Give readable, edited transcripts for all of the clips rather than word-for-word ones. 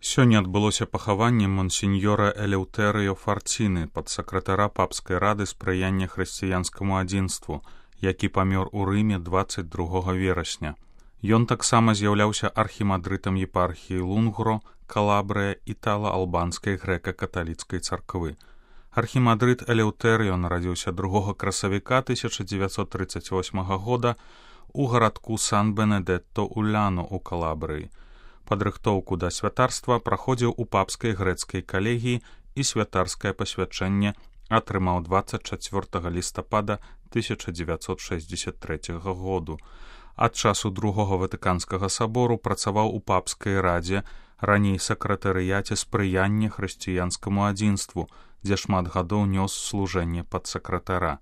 Сёння адбылося пахаванне монсеньора Элеўтэрыё Фарціны, падсакратара папскай рады спрыяння хрысціянскаму адзінству, які памёр у Рыме 22 верасня. Ён таксама з'яўляўся архімандрытам епархіі Лунгро, Калабрыя, італа-албанскай грэка-каталіцкай царквы. Архімандрыт Элеўтэрыё нарадзіўся 2 красавіка 1938 года у гарадку Сан-Бенедетто-Уляно ў Калабрыі. Падрыхтоўку да святарства праходзіў у папскай грэцкай калегіі і святарскае пасвячэнне атрымаў 24 лістапада 1963 году. Ад часу Другога Ватыканскага сабору працаваў у папскай радзе, раней сакратарыяце спрыяння хрысціянскаму адзінству, дзе шмат гадоў нёс служэнне падсакратара.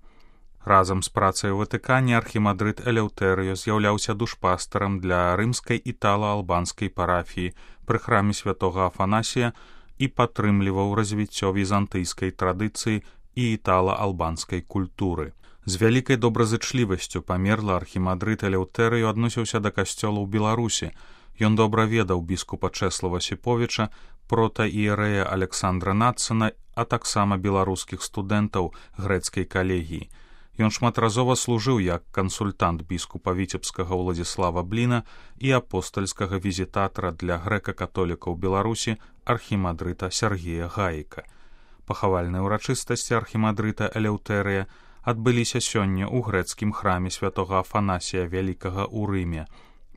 Разам з працай у Ватыкане архімандрыт Элеўтэрыё з'яўляўся душпастарам для рымскай італа-албанскай парафіі пры храме святога Афанасія і падтрымліваў развіццё візантыйскай традыцыі і італа-албанскай культуры. З вялікай добразычлівасцю памерлы архімандрыт Элеўтэрыё адносіўся да касцёла ў Беларусі. Ён добра ведаў біскупа Чэслава Сіповіча, протаіерэя Александра Нацана, а таксама беларускіх студэнтаў грэцкай калегіі. Ён шматразова служыў як кансультант біскупа віцебскага Уладзіслава Бліна і апостальскага візітатара для грэка-католікаў Беларусі архімандрыта Сергея Гаіка. Пахавальныя ўрачыстасці архімандрыта Элеўтэрыя адбыліся сёння ў грэцкім храме святога Афанасія Вялікага ў Рыме.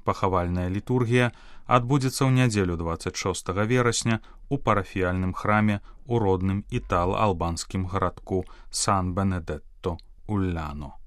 Пахавальная літургія адбудзецца ў нядзелю 26 верасня у парафіяльным храме ў родным італа-албанскім гарадку Сан-Бенедетто-Уляно.